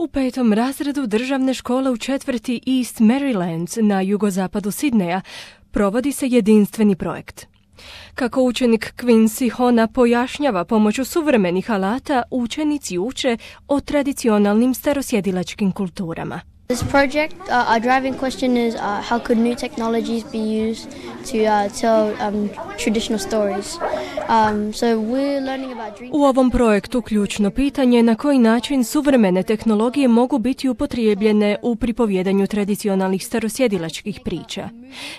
5. razredu državne škole u četvrti East Marylands na jugozapadu Sidneja provodi se jedinstveni projekt. Kako učenik Quincy Hona pojašnjava pomoću suvremenih alata, učenici uče o tradicionalnim starosjedilačkim kulturama. This project, our driving question is how could new technologies be used to tell traditional stories. So we're learning about dream. U ovom projektu ključno pitanje je na koji način suvremene tehnologije mogu biti upotrijebljene u pripovjedanju tradicionalnih starosjedilačkih priča.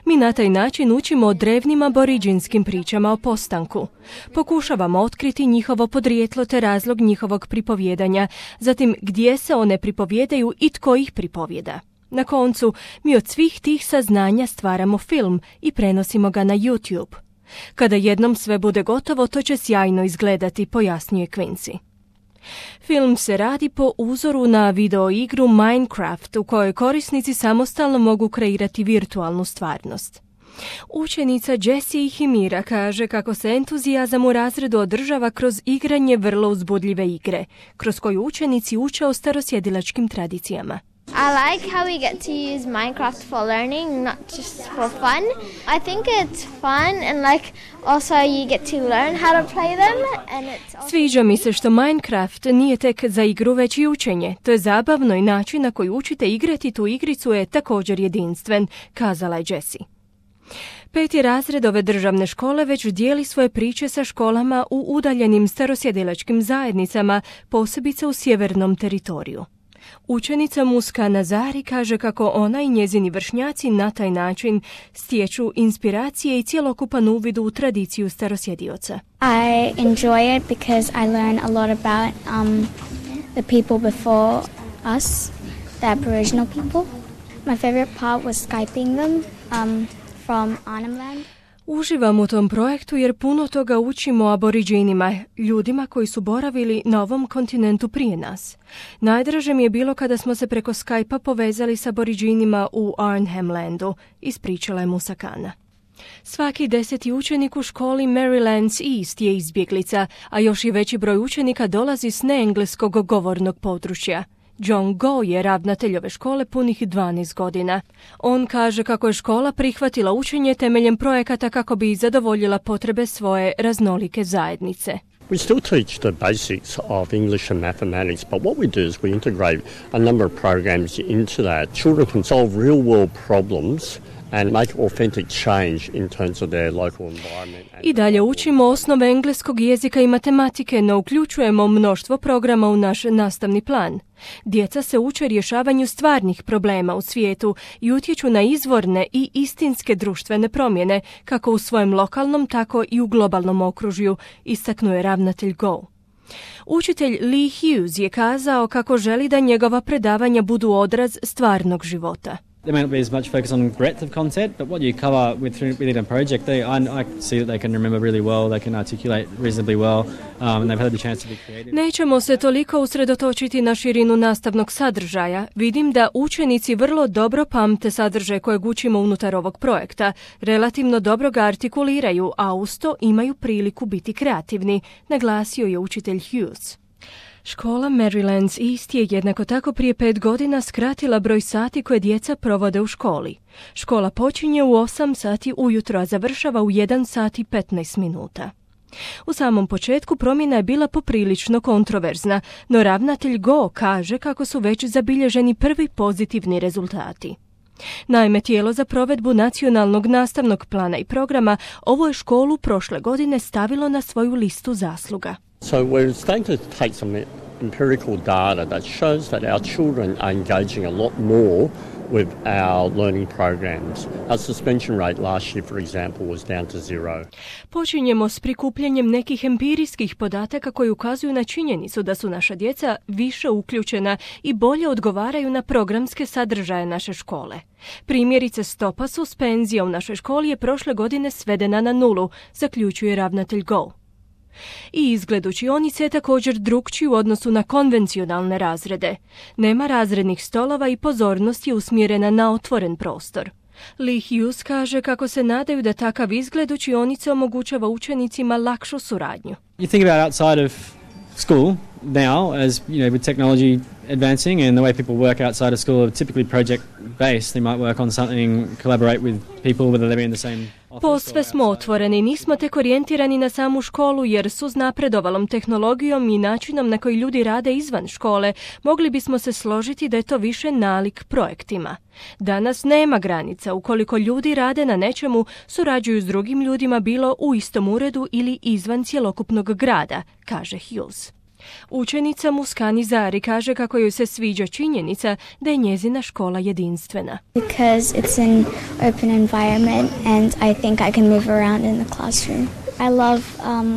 Mi na taj način učimo o drevnim aboriđinskim pričama o postanku. Pokušavamo otkriti njihovo podrijetlo te razlog njihovog pripovjedanja, zatim gdje se one pripovjedaju i tko ih pripovjeda. Na koncu, mi od svih tih saznanja stvaramo film i prenosimo ga na YouTube. Kada jednom sve bude gotovo, to će sjajno izgledati, pojasnjuje Quincy. Film se radi po uzoru na video igru Minecraft, u kojoj korisnici samostalno mogu kreirati virtualnu stvarnost. Učenica Jessie Himira kaže kako se entuzijazam u razredu održava kroz igranje vrlo uzbudljive igre, kroz koju učenici uče o starosjedilačkim tradicijama. I like how we get to use Minecraft for learning, not just for fun. I think it's fun and also you get to learn how to play them. And Sviđa mi se što Minecraft nije tek za igru, već i učenje. To je zabavno i način na koji učite igrati tu igricu je također jedinstven, kazala je Jessie. 5. razred ove državne škole već dijeli svoje priče sa školama u udaljenim starosjedilačkim zajednicama, posebice u sjevernom teritoriju. Učenica Muska Nazari kaže kako ona i njezini vršnjaci na taj način stječu inspiracije i cjelokupan uvid u tradiciju starosjedioca. I enjoy it because I learn a lot about the people before us, the Aboriginal people. My favorite part was Skyping them from Arnhem Land. Uživam u tom projektu jer puno toga učimo o aboriđinima, ljudima koji su boravili na ovom kontinentu prije nas. Najdraže mi je bilo kada smo se preko Skype-a povezali s aboriđinima u Arnhem Landu, ispričala je Musakana. Svaki 10. učenik u školi Marylands East je izbjeglica, a još i veći broj učenika dolazi s neengleskog govornog područja. John Go je ravnatelj ove škole punih 12 godina. On kaže kako je škola prihvatila učenje temeljem projekata kako bi zadovoljila potrebe svoje raznolike zajednice. We still teach the basics of English and mathematics, but what we do is we integrate a number of programs into that. Children can solve real-world problems and make authentic change in terms of their local environment. I dalje učimo osnove engleskog jezika i matematike, no uključujemo mnoštvo programa u naš nastavni plan. Djeca se uče rješavanju stvarnih problema u svijetu i utječu na izvorne i istinske društvene promjene, kako u svojem lokalnom, tako i u globalnom okružju, istaknuo je ravnatelj Go. Učitelj Lee Hughes je kazao kako želi da njegova predavanja budu odraz stvarnog života. There may not be as much focus on breadth of content, but what you cover within a project, I see that they can remember really well, they can articulate reasonably well, and they've had the chance to be creative. Nećemo se toliko usredotočiti na širinu nastavnog sadržaja. Vidim da učenici vrlo dobro pamte sadržaj kojeg učimo unutar ovog projekta, relativno dobro ga artikuliraju, a uz to imaju priliku biti kreativni, naglasio je učitelj Hughes. Škola Marylands East je jednako tako prije 5 godina skratila broj sati koje djeca provode u školi. Škola počinje u 8 sati ujutro, a završava u 1 sat i 15 minuta. U samom početku promjena je bila poprilično kontroverzna, no ravnatelj Go kaže kako su već zabilježeni prvi pozitivni rezultati. Naime, tijelo za provedbu nacionalnog nastavnog plana i programa ovu je školu prošle godine stavilo na svoju listu zasluga. So we're starting to take some empirical data that shows that our children are engaging a lot more with our learning programs. Our suspension rate last year, for example, was down to 0. Počinjemo s prikupljanjem nekih empirijskih podataka koji ukazuju na činjenicu da su naša djeca više uključena i bolje odgovaraju na programske sadržaje naše škole. Primjerice, stopa suspenzija u našoj školi je prošle godine svedena na 0, zaključuje ravnatelj Go. I izgled učionice je također drukčiji u odnosu na konvencionalne razrede. Nema razrednih stolova i pozornost je usmjerena na otvoren prostor. Lee Hughes kaže kako se nadaju da takav izgled učionice omogućava učenicima lakšu suradnju. You think about outside of school now, as you know, with technology advancing, and the way people work outside of school are typically project-based. They might work on something, collaborate with people, whether they're in the same office. Posve smo otvoreni, nismo tek orijentirani na samu školu jer su s napredovalom tehnologijom i načinom na koji ljudi rade izvan škole, mogli bismo se složiti da je to više nalik projektima. Danas nema granica ukoliko ljudi rade na nečemu, surađuju s drugim ljudima bilo u istom uredu ili izvan cjelokupnog grada, kaže Hughes. Učenica Muskani Zari kaže kako joj se sviđa činjenica da je njezina škola jedinstvena. Because it's an open environment and I think I can move around in the classroom. I love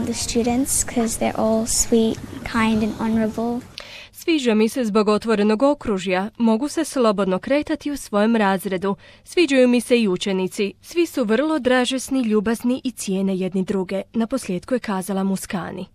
the students because they're all sweet, kind and honorable. Sviđa mi se zbog otvorenog okružja, mogu se slobodno kretati u svojem razredu. Sviđaju mi se i učenici, svi su vrlo dražesni, ljubazni i cijene jedni druge, naposljetku je kazala Muskani.